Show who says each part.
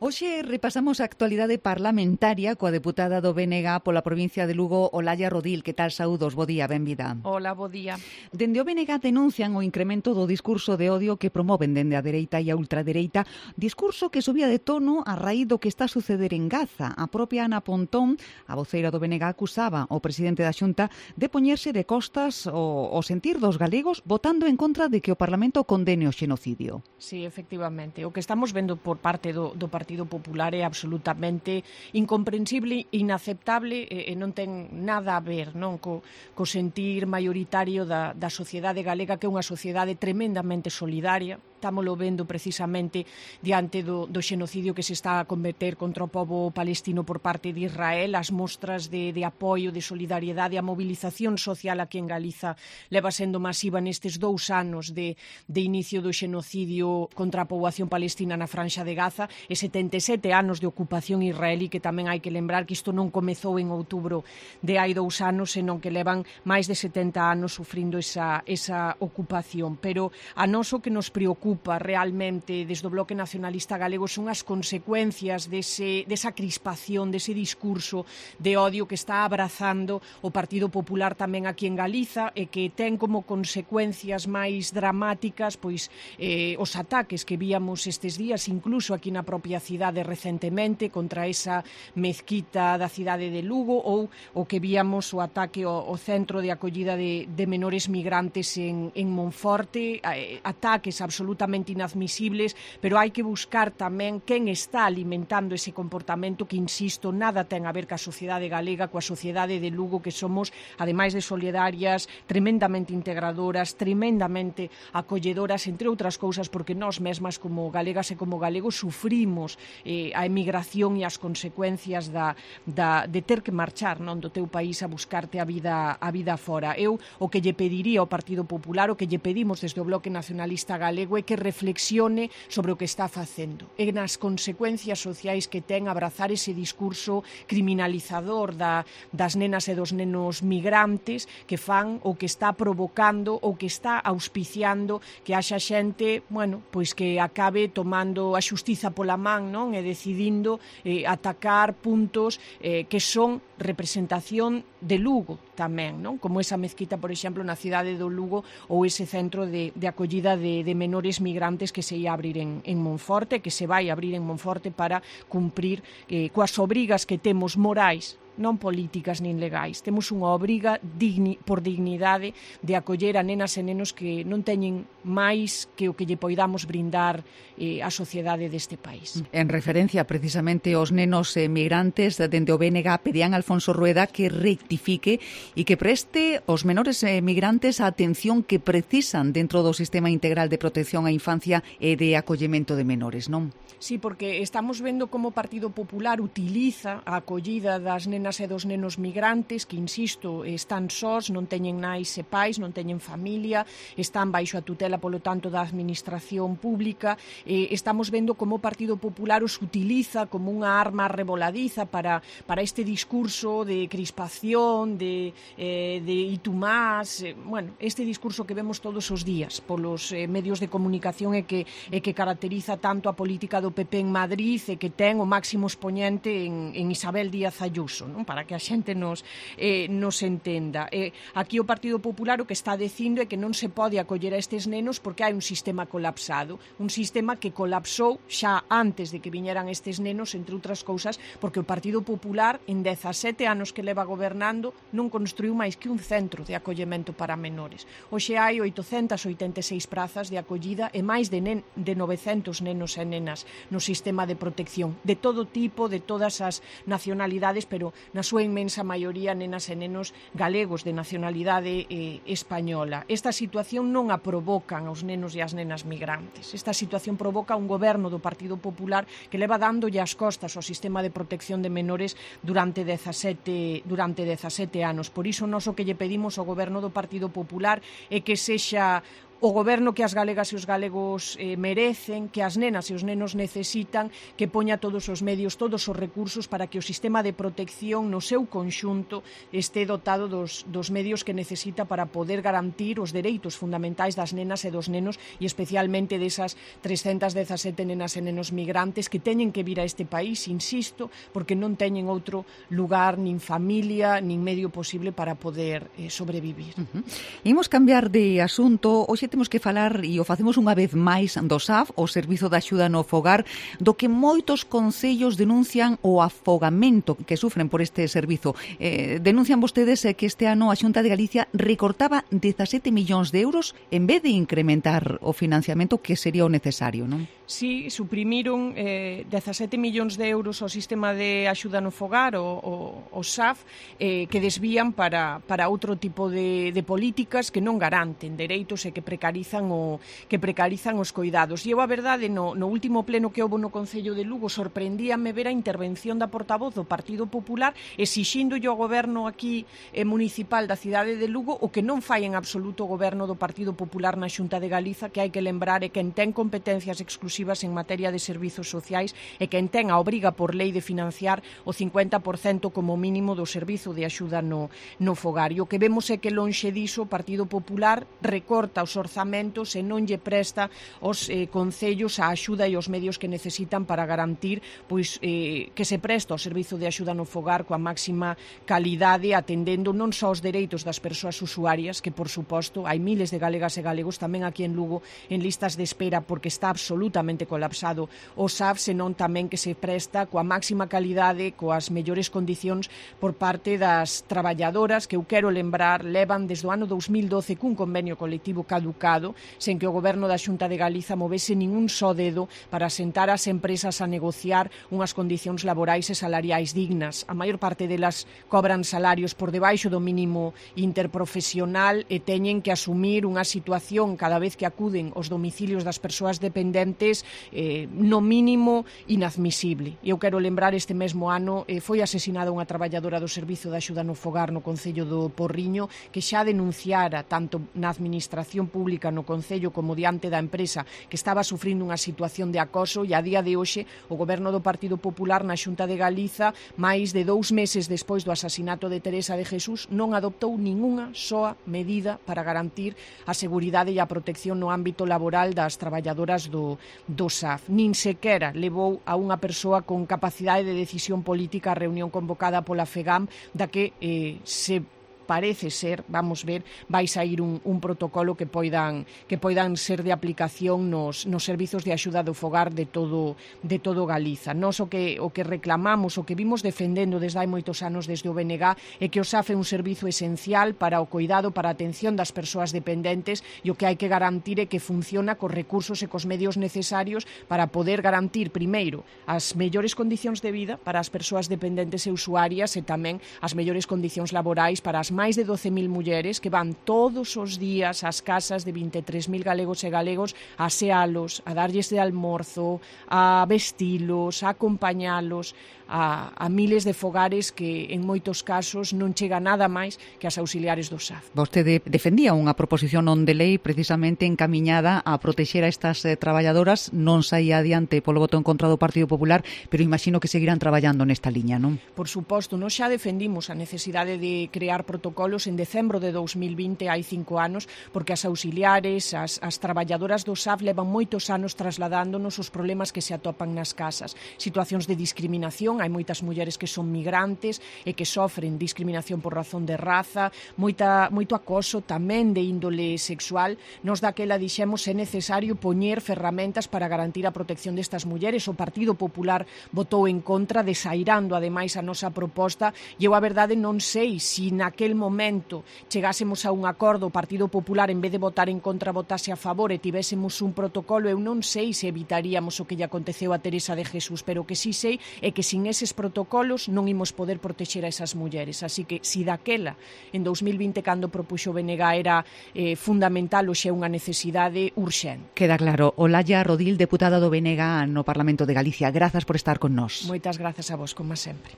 Speaker 1: Hoxe repasamos a actualidade parlamentaria coa deputada do BNG pola provincia de Lugo, Olalla Rodil. Que tal, saúdos? Bo día, benvida.
Speaker 2: Hola, bo día.
Speaker 1: Dende o BNG denuncian o incremento do discurso de odio que promoven dende a dereita e a ultradereita, discurso que subía de tono a raíz do que está a suceder en Gaza. A propia Ana Pontón, a voceira do BNG, acusaba o presidente da Xunta de poñerse de costas o sentir dos galegos, votando en contra de que o Parlamento condene o xenocidio.
Speaker 2: Sí, efectivamente. O que estamos vendo por parte do Partido Popular é absolutamente incomprensible, inaceptable e non ten nada a ver, non, co sentir maioritario da sociedade galega, que é unha sociedade tremendamente solidaria. Estámoslo vendo precisamente diante do xenocidio que se está a cometer contra o pobo palestino por parte de Israel, as mostras de apoio, de solidariedade, a mobilización social aquí en Galiza leva sendo masiva nestes 2 anos de inicio do xenocidio contra a poboación palestina na Franxa de Gaza e 77 anos de ocupación israelí, que tamén hai que lembrar que isto non comezou en outubro de hai 2 anos, senón que levan máis de 70 anos sufrindo esa ocupación. Pero a nós o que nos preocupa realmente desde o Bloque Nacionalista Galego son as consecuencias desa crispación, dese discurso de odio que está abrazando o Partido Popular tamén aquí en Galiza e que ten como consecuencias máis dramáticas pois os ataques que víamos estes días, incluso aquí na propia cidade recentemente, contra esa mezquita da cidade de Lugo, ou o que víamos o ataque ao centro de acollida de menores migrantes en Monforte, ataques absolutamente inadmisibles, pero hai que buscar tamén quen está alimentando ese comportamento que, insisto, nada ten a ver ca sociedade galega, coa sociedade de Lugo, que somos, ademais de solidarias, tremendamente integradoras, tremendamente acolledoras, entre outras cousas, porque nós mesmas como galegas e como galegos sufrimos a emigración e as consecuencias de ter que marchar, non, do teu país a buscarte a vida fora. Eu o que lle pediría ao Partido Popular, o que lle pedimos desde o Bloque Nacionalista Galego, é que reflexione sobre o que está facendo e nas consecuencias sociais que ten abrazar ese discurso criminalizador das nenas e dos nenos migrantes que fan ou que está provocando ou que está auspiciando que haxa xente, bueno, pois que acabe tomando a xustiza pola man, non, e decidindo atacar puntos que son representación de Lugo tamén, non? Como esa mezquita, por exemplo, na cidade do Lugo, ou ese centro de acollida de menores migrantes que se ia abrir en Monforte, que se vai abrir en Monforte para cumprir coas obrigas que temos morais, non políticas nin legais. Temos unha obriga por dignidade de acoller a nenas e nenos que non teñen máis que o que lle poidamos brindar a sociedade deste país.
Speaker 1: En referencia precisamente aos nenos migrantes, dende o BNG pedían a Alfonso Rueda que rectifique e que preste aos menores migrantes a atención que precisan dentro do sistema integral de protección á infancia e de acollemento de menores, non?
Speaker 2: Sí, porque estamos vendo como o Partido Popular utiliza a acollida das nenas e dos nenos migrantes que, insisto, están sós, non teñen nais e pais, non teñen familia, están baixo a tutela, polo tanto, da administración pública. Estamos vendo como o Partido Popular os utiliza como unha arma revoladiza para este discurso de crispación, de itumás, bueno, este discurso que vemos todos os días polos medios de comunicación e que caracteriza tanto a política do PP en Madrid e que ten o máximo expoñente en Isabel Díaz Ayuso, non? Para que a xente nos entenda. Aquí o Partido Popular o que está dicindo é que non se pode acoller a estes nenos porque hai un sistema colapsado, un sistema que colapsou xa antes de que viñeran estes nenos, entre outras cousas, porque o Partido Popular en 17 anos que leva gobernando non construiu máis que un centro de acollemento para menores. Hoxe hai 886 prazas de acollida e máis de 900 nenos e nenas no sistema de protección, de todo tipo, de todas as nacionalidades, pero na súa inmensa maioría nenas e nenos galegos de nacionalidade española. Esta situación non a provocan os nenos e as nenas migrantes. Esta situación provoca un goberno do Partido Popular que leva dándolle as costas ao sistema de protección de menores durante 17 anos. Por iso, nós o que lle pedimos ao goberno do Partido Popular é que sexa o goberno que as galegas e os galegos merecen, que as nenas e os nenos necesitan, que poña todos os medios, todos os recursos para que o sistema de protección no seu conxunto este dotado dos medios que necesita para poder garantir os dereitos fundamentais das nenas e dos nenos, e especialmente desas 317 nenas e nenos migrantes que teñen que vir a este país, insisto, porque non teñen outro lugar, nin familia, nin medio posible para poder sobrevivir.
Speaker 1: Imos cambiar de asunto. Hoxe temos que falar, e o facemos unha vez máis, do SAF, o Servizo de Axuda no Fogar, do que moitos concellos denuncian o afogamento que sufren por este servizo. Denuncian vostedes que este ano a Xunta de Galicia recortaba 17 millóns de euros en vez de incrementar o financiamento que sería o necesario, non?
Speaker 2: Sí, suprimiron 17 millóns de euros ao sistema de axuda no fogar, o SAF, que desvían para outro tipo de políticas que non garanten dereitos e que precarizan os coidados. E eu, a verdade, no último pleno que houve no Concello de Lugo, sorprendíame ver a intervención da portavoz do Partido Popular exixíndolle ao goberno aquí municipal da cidade de Lugo o que non fai en absoluto o goberno do Partido Popular na Xunta de Galiza, que hai que lembrar é quen ten competencias exclusivas en materia de servizos sociais e quen ten a obriga por lei de financiar o 50% como mínimo do servizo de axuda no fogar. E o que vemos é que lonxe diso o Partido Popular recorta os orzamentos e non lle presta aos concellos a axuda e os medios que necesitan para garantir que se presta o servizo de axuda no fogar coa máxima calidade, atendendo non só os dereitos das persoas usuarias, que por suposto hai miles de galegas e galegos tamén aquí en Lugo en listas de espera porque está absolutamente colapsado o SAF, senón tamén que se presta coa máxima calidade, coas mellores condicións por parte das traballadoras, que eu quero lembrar levan desde o ano 2012 cun convenio colectivo caducado, sen que o goberno da Xunta de Galiza movese ningún só dedo para sentar as empresas a negociar unhas condicións laborais e salariais dignas. A maior parte delas cobran salarios por debaixo do mínimo interprofesional e teñen que asumir unha situación cada vez que acuden aos domicilios das persoas dependentes no mínimo inadmisible. E eu quero lembrar, este mesmo ano foi asesinada unha traballadora do Servizo de Axuda no Fogar no Concello do Porriño, que xa denunciara tanto na administración pública no Concello como diante da empresa que estaba sufrindo unha situación de acoso, e a día de hoxe o goberno do Partido Popular na Xunta de Galiza, máis de 2 meses despois do asasinato de Teresa de Jesús, non adoptou ningunha soa medida para garantir a seguridade e a protección no ámbito laboral das traballadoras do SAF. Nin sequera levou a unha persoa con capacidade de decisión política a reunión convocada pola FEGAM, da que se parece ser, vamos ver, vai sair un protocolo que poidan ser de aplicación nos servizos de axuda do fogar de todo Galiza. Nós o que reclamamos, o que vimos defendendo desde hai moitos anos desde o BNG, é que o SAF é un servizo esencial para o cuidado, para a atención das persoas dependentes, e o que hai que garantir é que funciona cos recursos e cos medios necesarios para poder garantir, primeiro, as mellores condicións de vida para as persoas dependentes e usuarias, e tamén as mellores condicións laborais para as máis de 12.000 mulleres que van todos os días ás casas de 23.000 galegos e galegos a asealos, a darlles de almorzo, a vestilos, a acompañalos, a miles de fogares que en moitos casos non chega nada máis que as auxiliares do SAF.
Speaker 1: Vostede defendía unha proposición non de lei precisamente encamiñada a protexer a estas traballadoras, non saía adiante polo voto en contra do Partido Popular, pero imagino que seguirán traballando nesta liña, non?
Speaker 2: Por suposto, nós xa defendimos a necesidade de crear protocolos en decembro de 2020, hai 5 anos, porque as auxiliares, as traballadoras do SAF levan moitos anos trasladándonos os problemas que se atopan nas casas, situacións de discriminación. Hai moitas mulleres que son migrantes e que sofren discriminación por razón de raza, moito acoso tamén de índole sexual. Nos daquela dixemos é necesario poñer ferramentas para garantir a protección destas mulleres. O Partido Popular votou en contra, desairando ademais a nosa proposta, e eu a verdade non sei se naquel momento chegásemos a un acordo, o Partido Popular en vez de votar en contra votase a favor e tivésemos un protocolo, eu non sei se evitaríamos o que lle aconteceu a Teresa de Jesús, pero o que sí sei é que sin eses protocolos non imos poder protexer a esas mulleres. Así que, si daquela, en 2020, cando propuxo o BNG, era fundamental, hoxe é unha necesidade urxente.
Speaker 1: Queda claro. Olalla Rodil, deputada do BNG no Parlamento de Galicia. Grazas por estar con nós.
Speaker 2: Moitas grazas a vos, como sempre.